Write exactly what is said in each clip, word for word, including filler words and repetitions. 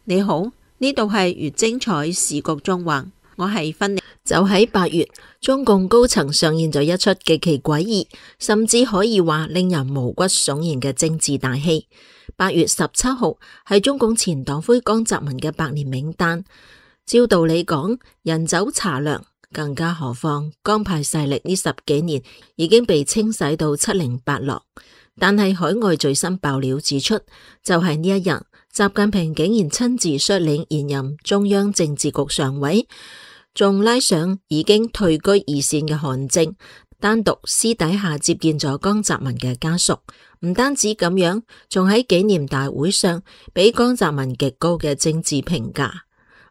你好，呢度係越精彩時局縱橫，我係芬妮。就喺八月，中共高層上演咗一出極其詭異，甚至可以話令人毛骨悚然嘅政治大戲。八月十七號係中共前黨魁江澤民嘅百年冥誕。照道理講，人走茶涼，更加何況江派勢力呢十幾年已經被清洗到七零八落。但係海外最新爆料指出，就係呢一日，習近平竟然親自率領現任中央政治局常委，仲拉上已經退居二線嘅韓正，單獨私底下接見咗江澤民嘅家屬。唔單止咁樣，仲喺紀念大會上俾江澤民極高嘅政治評價。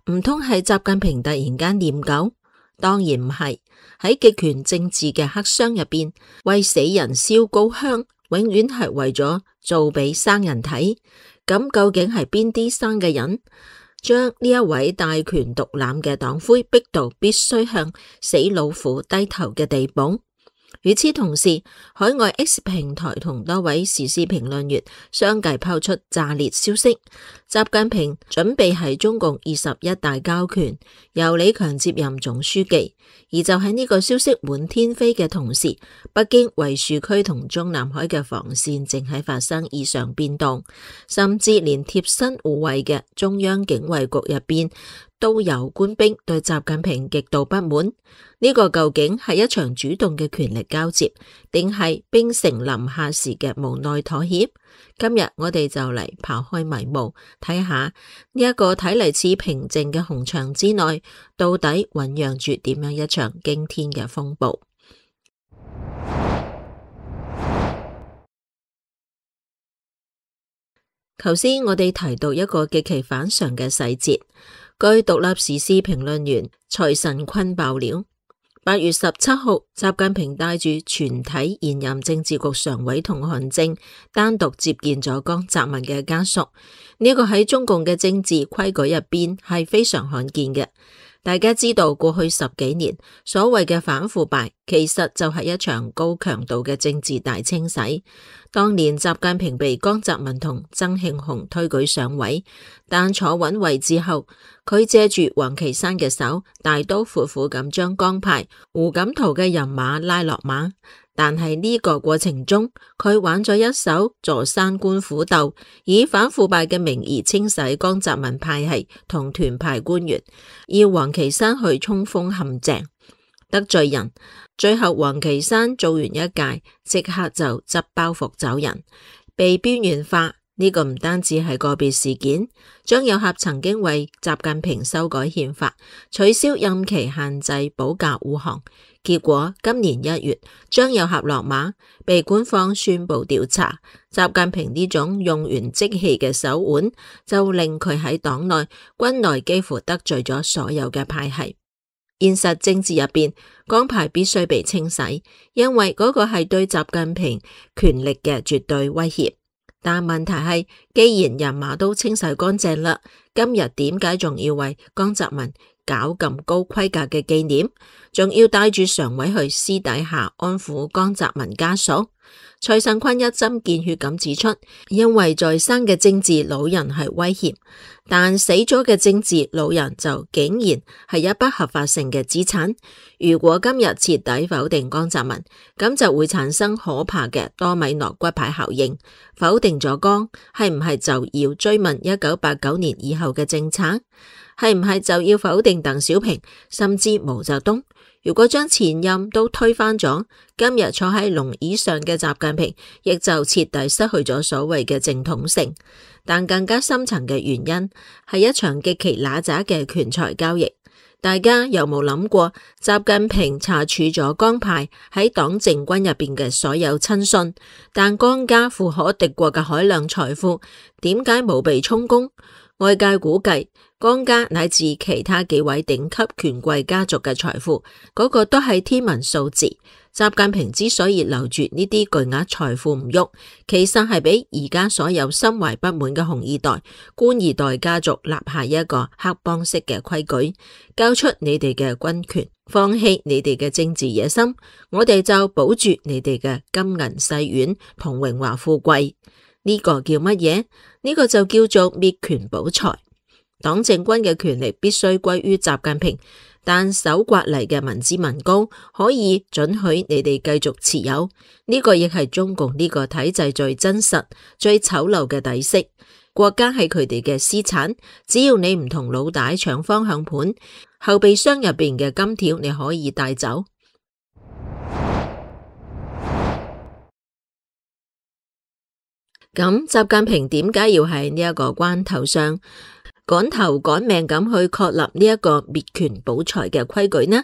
唔通係習近平突然間念舊？當然唔係。喺極權政治嘅黑箱入邊，為死人燒高香，永遠係為咗做俾生人睇。咁究竟係邊啲生嘅人，將呢一位大權獨攬嘅黨魁逼到必須向死老虎低頭嘅地步？與此同時，海外 X 平台同多位時事評論員相繼拋出炸裂消息，習近平準備喺中共二十一大交權，由李強接任總書記。而就喺呢個消息滿天飛嘅同時，北京維樹區同中南海嘅防線正喺發生異常變動，甚至連貼身護衛嘅中央警衛局入邊都有官兵對習近平極度不滿。呢個究竟係一場主動嘅權力交接，定係兵成臨下時嘅無奈妥協？今日我哋就嚟刨開迷霧，睇下呢一個睇嚟似平靜嘅紅牆之內，到底醞釀住點樣一場驚天嘅風暴。頭先我哋提到一個極其反常嘅細節，據獨立時事評論員蔡慎坤爆料，八月十七號，習近平帶住全體現任政治局常委同韓正單獨接見咗江澤民嘅家屬。呢個喺中共嘅政治規矩入邊係非常罕見嘅。大家知道過去十幾年所謂嘅反腐敗，其實就係一場高強度嘅政治大清洗。當年習近平被江澤民同曾慶紅推舉上位，但坐穩位置後，佢借住王岐山嘅手，大刀闊斧咁將江派胡錦濤嘅人馬拉落馬。但係呢個過程中，佢玩咗一手坐山觀虎鬥，以反腐敗嘅名義清洗江澤民派系同團派官員，要王岐山去衝鋒陷陣，得罪人。最後王岐山做完一屆，即刻就執包袱走人，被邊緣化。呢個唔單止係個別事件，張又俠曾經為習近平修改憲法，取消任期限制保駕護航，結果今年一月張又俠落馬，被官方宣布調查。習近平呢種用完即棄嘅手腕，就令佢喺黨內軍內幾乎得罪咗所有嘅派系。現實政治入邊，江派必須被清洗，因為嗰個係對習近平權力嘅絕對威脅。但問題係，既然人馬都清洗乾淨啦，今日點解仲要為江澤民搞咁高規格嘅紀念，仲要帶住常委去私底下安撫江澤民家屬？蔡慎坤一針見血咁指出，因為在生嘅政治老人係威脅，但死咗嘅政治老人就竟然係一筆合法性嘅資產。如果今日徹底否定江澤民，咁就會產生可怕嘅多米諾骨牌效應。否定咗江，係唔係就要追問一九八九年以後嘅政策？係唔係就要否定鄧小平，甚至毛澤東？如果將前任都推翻咗，今日坐喺龍椅上嘅習近平，亦就徹底失去咗所謂嘅正統性。但更加深層嘅原因，係一場極其揦雜嘅權財交易。大家有冇諗過，習近平查處咗江派喺黨政軍入邊嘅所有親信，但江家富可敵國嘅海量財富，點解冇被充公？外界估計，江家乃至其他幾位頂級權貴家族嘅財富，嗰、那個都係天文數字。習近平之所以留住呢啲巨額財富唔喐，其實係俾而家所有心懷不滿嘅紅二代、官二代家族立下一個黑幫式嘅規矩：交出你哋嘅軍權，放棄你哋嘅政治野心，我哋就保住你哋嘅金銀細軟同榮華富貴。呢、這個叫乜嘢？呢、這個就叫做滅權保財。黨政軍嘅權力必須歸於習近平，但搜刮嚟嘅民脂民膏可以准許你哋繼續持有，呢、這個亦係中共呢個體制最真實、最醜陋嘅底色。國家係佢哋嘅私產，只要你唔同老大搶方向盤，後備箱入邊嘅金條你可以帶走。咁習近平點解要喺呢一個關頭上趕頭趕命咁去確立呢一個滅權保財嘅規矩呢？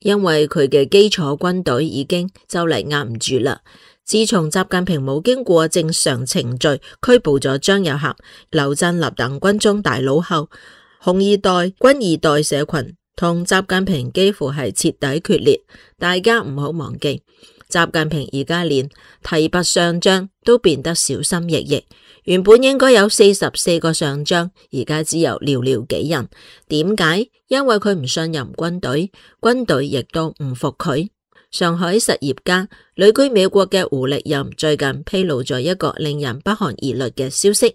因為佢嘅基礎軍隊已經就嚟壓唔住啦。自從習近平冇經過正常程序拘捕咗張又俠、劉振立等軍中大佬後，紅二代、軍二代社群同習近平幾乎係徹底決裂。大家唔好忘記，習近平而家連提拔上將都變得小心翼翼。原本應該有四十四個上將，而家只有寥寥幾人。點解？因為佢唔信任軍隊，軍隊亦都唔服佢。上海實業家旅居美國嘅胡力任最近披露咗一個令人不寒而慄嘅消息，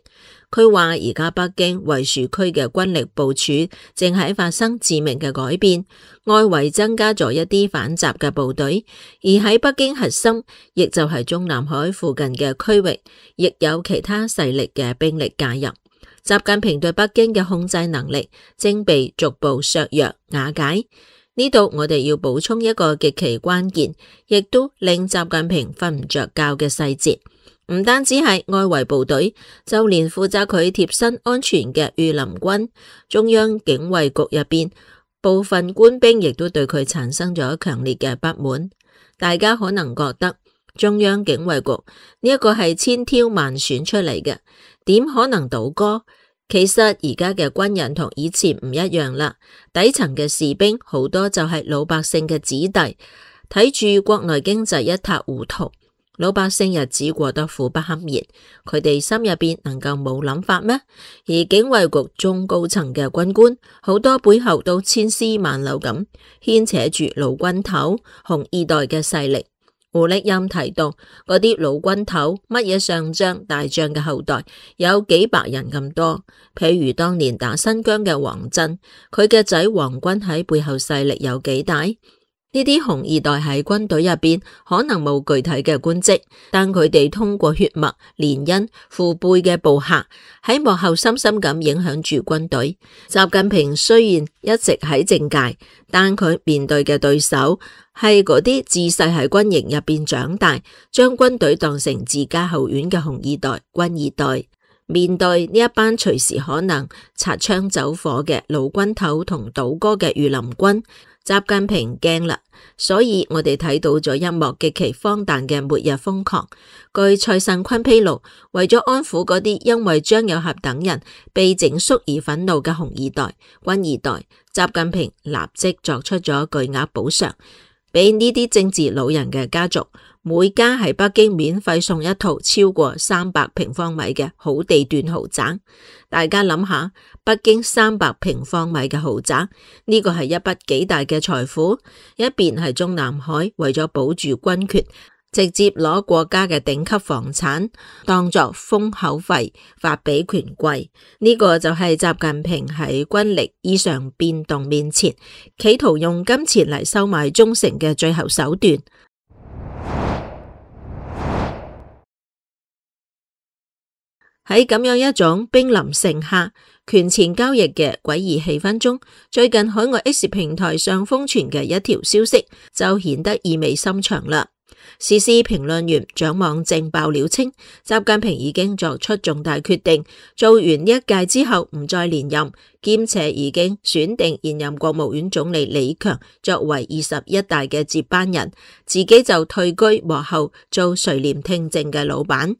佢話而家北京衛戍區嘅軍力部署正喺發生致命嘅改變，外圍增加咗一啲反習嘅部隊，而喺北京核心，亦就係中南海附近嘅區域，亦有其他勢力嘅兵力介入。習近平對北京嘅控制能力正被逐步削弱瓦解。呢度我哋要補充一個極其關鍵，亦都令習近平瞓唔着覺嘅細節，唔單止係外圍部隊，就連負責佢貼身安全嘅御林軍、中央警衛局入邊部分官兵，亦都對佢產生咗強烈嘅不滿。大家可能覺得中央警衛局呢一個係千挑萬選出嚟嘅，點可能倒戈？其實而家嘅軍人同以前唔一樣啦，底層嘅士兵好多就係老百姓嘅子弟，睇住國內經濟一塌糊塗，老百姓日子過得苦不堪言，佢哋心入邊能夠冇諗法咩？而警衛局中高層嘅軍官，好多背後都千絲萬縷咁牽扯住老軍頭、紅二代嘅勢力。胡力任提到，嗰啲老軍頭乜嘢上將、大將嘅後代有幾百人咁多。譬如當年打新疆嘅王震，佢嘅仔王軍喺背後勢力有幾大？呢啲紅二代喺軍隊入邊可能冇具體嘅官職，但佢哋通過血脈、聯姻、父輩嘅部下喺幕後深深咁影響住軍隊。習近平雖然一直喺政界，但佢面對嘅對手係嗰啲自細喺軍營入邊長大，將軍隊當成自家後院嘅紅二代、軍二代。面對呢一班隨時可能擦槍走火嘅老軍頭同倒戈嘅御林軍，習近平驚啦，所以我哋睇到咗一幕極其荒誕嘅末日瘋狂。據蔡慎坤披露，為咗安撫嗰啲因為張又俠等人被整肅而憤怒嘅紅二代、軍二代，習近平立即作出咗巨額補償，俾呢啲政治老人嘅家族，每家喺北京免費送一套超過三百平方米嘅好地段豪宅。大家諗下，北京三百平方米嘅豪宅，呢個係一筆幾大嘅財富。一邊係中南海為咗保住軍權，直接攞國家嘅頂級房產當作封口費發俾權貴。呢個就係習近平喺軍力異常變動面前，企圖用金錢嚟收買忠誠嘅最後手段。喺咁樣一種兵臨城下、權錢交易嘅詭異氣氛中，最近海外 X 平台上瘋傳嘅一條消息就顯得意味深長啦。時事評論員蔣望正爆料稱，習近平已經作出重大決定，做完呢一屆之後唔再連任，兼且已經選定現任國務院總理李強作為二十一大嘅接班人，自己就退居幕後做垂簾聽政嘅老闆。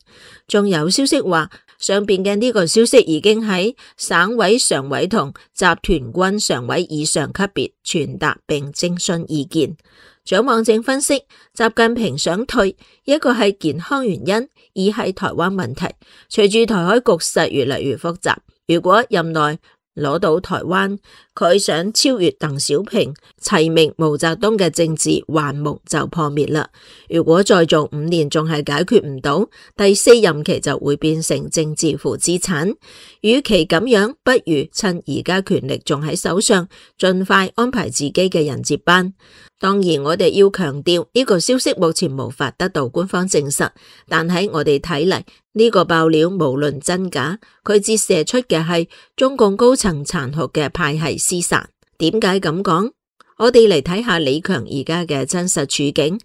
仲有消息話，上邊嘅呢個消息已經喺省委常委同集團軍常委以上級別傳達並徵詢意見。蔣望正分析，習近平想退，一個係健康原因，二係台灣問題。隨住台海局勢越嚟越複雜，如果任內攞到台灣，佢想超越鄧小平，齊名毛澤東嘅政治幻夢就破滅啦。如果再做五年仲係解決唔到，第四任期就會變成政治負資產。與其咁樣，不如趁而家權力仲喺手上，盡快安排自己嘅人接班。當然，我哋要強調呢個消息目前無法得到官方證實，但喺我哋睇嚟，呢個爆料無論真假，佢折射出嘅係中共高層殘酷嘅派系廝殺。點解咁講？我哋嚟睇下李強而家嘅真實處境。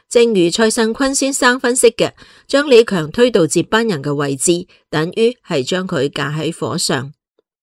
正如蔡慎坤先生分析嘅，將李強推到接班人嘅位置，等於係將佢架喺火上，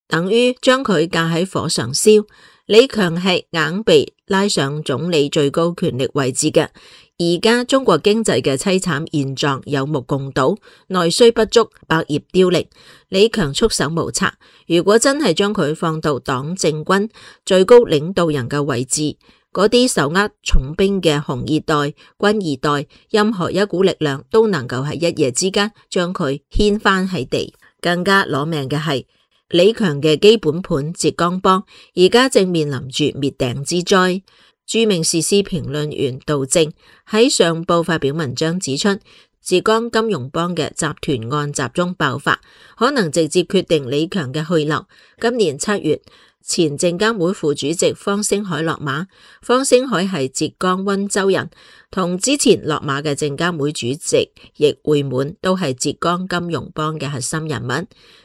等於將佢架喺火上燒。李強係硬被拉上總理最高權力位置嘅，而家中國經濟嘅淒慘現狀有目共睹，內需不足，百業凋零。李強束手無策，如果真係將佢放到黨政軍最高領導人嘅位置，嗰啲手握重兵嘅紅二代、軍二代，任何一股力量都能夠喺一夜之間將佢掀翻喺地。更加攞命嘅係，李強嘅基本盤浙江幫而家正面臨住滅頂之災。著名時事評論員杜正喺上報發表文章指出，浙江金融幫嘅集團案集中爆發，可能直接決定李強嘅去留。今年七月，前證監會副主席方星海落馬，方星海係浙江溫州人，同之前落馬嘅證監會主席易會滿都係浙江金融幫嘅核心人物。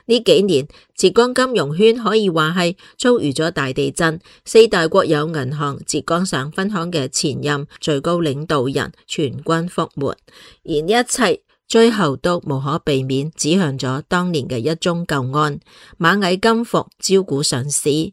呢幾年，浙江金融圈可以話係遭遇咗大地震，四大國有銀行浙江省分行嘅前任最高領導人全軍覆沒，而呢一切最後都無可避免指向咗當年嘅一宗舊案——螞蟻金服招股上市。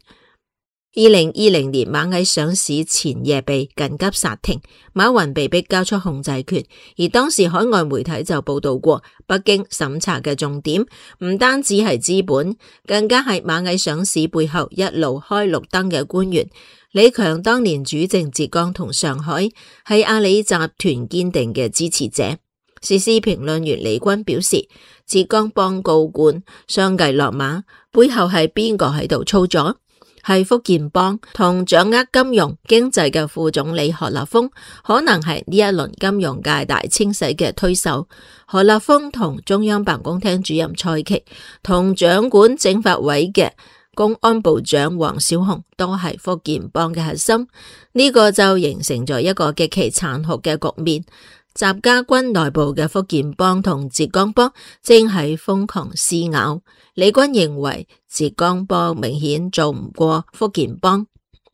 二零二零年螞蟻上市前夜被緊急剎停，馬雲被迫交出控制權，而當時海外媒體就報道過，北京審查嘅重點唔單止係資本，更加係螞蟻上市背後一路開綠燈嘅官員。李強當年主政浙江同上海，係阿里集團堅定嘅支持者。時事評論員李軍表示，浙江幫高官相繼落馬，背後係邊個喺度操作？係福建幫同掌握金融經濟嘅副總理何立峰，可能係呢一輪金融界大清洗嘅推手。何立峰同中央辦公廳主任蔡奇，同掌管政法委嘅公安部長王小洪都係福建幫嘅核心，呢、這個就形成咗一個極其殘酷嘅局面。習家軍內部嘅福建幫同浙江幫正係瘋狂撕咬。李軍認為浙江幫明顯做唔過福建幫。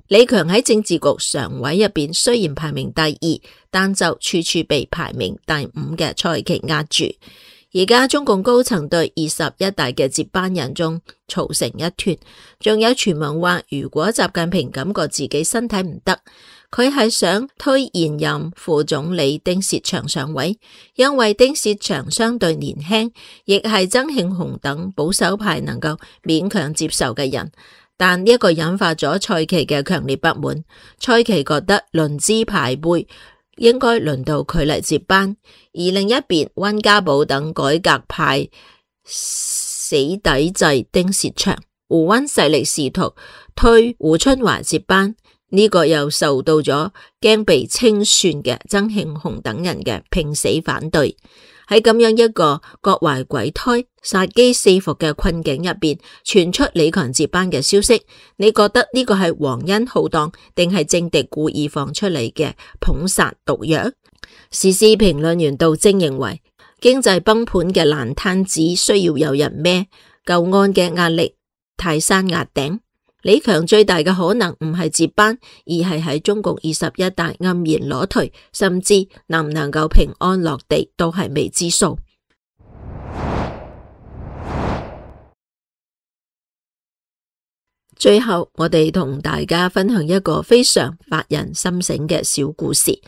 李強喺政治局常委入邊雖然排名第二，但就處處被排名第五嘅蔡奇壓住。而家中共高層對二十一大嘅接班人中嘈成一團，仲有傳聞話，如果習近平感覺自己身體唔得，佢係想推現任副總理丁薛祥上位，因為丁薛祥相對年輕，亦係曾慶紅等保守派能夠勉強接受嘅人。但呢一個引發咗蔡奇嘅強烈不滿，蔡奇覺得論資排輩，應該輪到佢嚟接班。而另一邊，溫家寶等改革派死抵制丁薛祥，胡溫勢力試圖推胡春華接班，呢、這個又受到咗驚被清算嘅曾慶紅等人嘅拼死反對。喺咁樣一個各懷鬼胎、殺機四伏嘅困境入邊，傳出李強接班嘅消息，你覺得呢個係皇恩浩蕩，定係政敵故意放出嚟嘅捧殺毒藥？時事評論員杜正認為，經濟崩盤嘅爛攤子需要有人孭，舊案嘅壓力泰山壓頂。李強最大嘅可能唔係接班，而係喺中共二十一大黯然裸退，甚至能唔能夠平安落地都係未知數。最後，我哋同大家分享一個非常發人深省嘅小故事。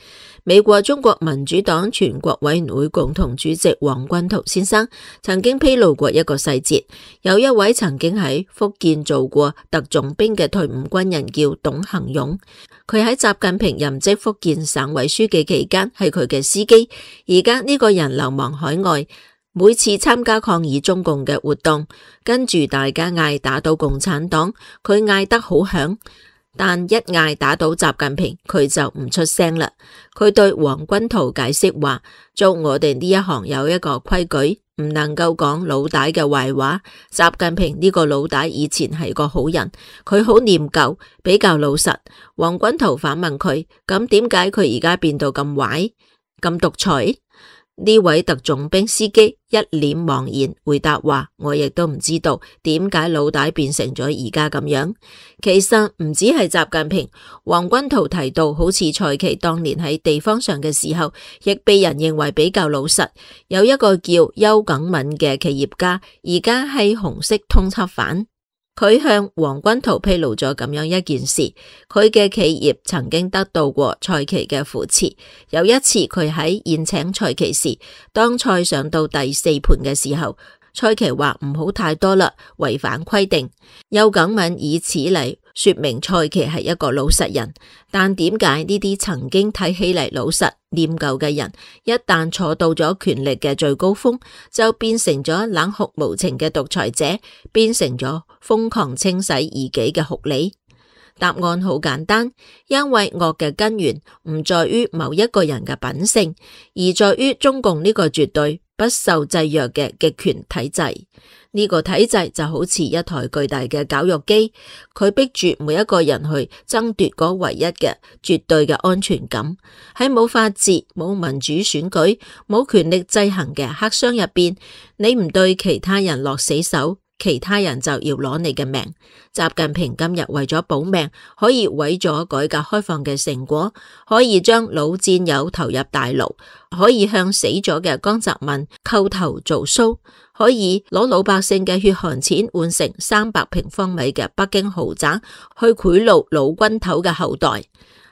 美國中國民主黨全國委員會共同主席黃君濤先生曾經披露過一個細節，有一位曾經喺福建做過特種兵嘅退伍軍人叫董行勇，佢喺習近平任職福建省委書記期間係佢嘅司機，而家呢個人流亡海外，每次參加抗議中共嘅活動，跟住大家嗌打倒共產黨，佢嗌得好響，但一嗌打倒習近平，佢就唔出聲啦。佢對黃君濤解釋話，做我哋呢一行有一個規矩，唔能夠講老大嘅壞話。習近平呢個老大以前係個好人，佢好念舊，比較老實。黃君濤反問佢，咁點解佢而家變到咁壞、咁獨裁？呢位特種兵司機一臉茫然回答話，我亦都唔知道點解老大變成咗而家咁樣。其實唔止係習近平，黃君濤提到好似蔡奇當年喺地方上嘅時候，亦被人認為比較老實。有一個叫邱耿敏嘅企業家，而家係紅色通緝犯。佢向黃君濤披露咗咁樣一件事，佢嘅企業曾經得到過蔡奇嘅扶持。有一次佢喺宴請蔡奇時，當菜上到第四盤嘅時候，蔡奇話唔好太多啦，違反規定。邱耿敏以此嚟說明蔡奇係一個老實人，但點解呢啲曾經睇起嚟老實念舊嘅人，一旦坐到咗權力嘅最高峰，就變成咗冷酷無情嘅獨裁者，變成咗瘋狂清洗異己嘅酷吏？答案好簡單，因為惡嘅根源唔在於某一個人嘅品性，而在於中共呢個絕對不受制約嘅極權體制。呢個體制就好似一台巨大嘅絞肉機，佢逼住每一個人去爭奪嗰唯一嘅絕對嘅安全感。喺冇法治、冇民主選舉、冇權力制衡嘅黑箱入邊，你唔對其他人落死手，其他人就要攞你嘅命。習近平今日為咗保命，可以毀咗改革開放嘅成果，可以將老戰友投入大牢，可以向死咗嘅江澤民叩頭做騷，可以攞老百姓嘅血汗錢換成三百平方米嘅北京豪宅，去賄賂老軍頭嘅後代。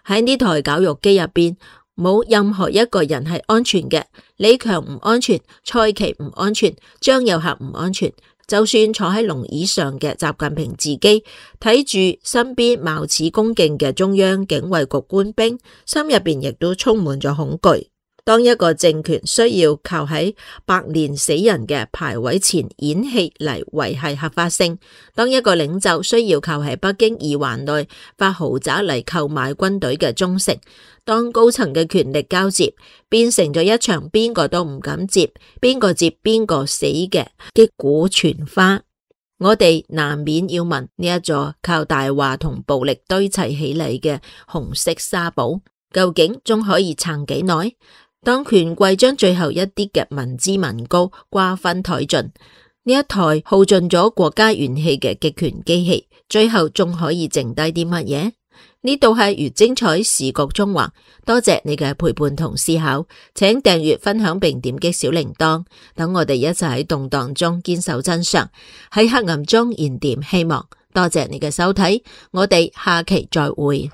喺呢台絞肉機入邊，冇任何一個人係安全嘅。李強唔安全，蔡奇唔安全，張又俠唔安全。就算坐喺龍椅上嘅習近平自己，睇住身邊貌似恭敬嘅中央警衛局官兵，心入邊亦都充滿咗恐懼。當一個政權需要靠喺百年死人嘅牌位前演戲嚟維繫合法性，當一個領袖需要靠喺北京二環內發豪宅嚟購買軍隊嘅忠誠，當高層嘅權力交接變成咗一場邊個都唔敢接，邊個接邊個死嘅擊鼓傳花，我哋難免要問，呢一座靠大話同暴力堆砌起嚟嘅紅色沙堡，究竟仲可以撐幾耐？當權貴將最後一啲嘅民脂民膏瓜分殆盡，呢一台耗盡咗國家元氣嘅極權機器，最後仲可以剩低啲乜嘢？呢度係越精彩時局縱橫，多謝你嘅陪伴同思考，請訂閱、分享並點擊小鈴鐺，等我哋一齊喺動盪中堅守真相，喺黑暗中燃點希望。多謝你嘅收睇，我哋下期再會。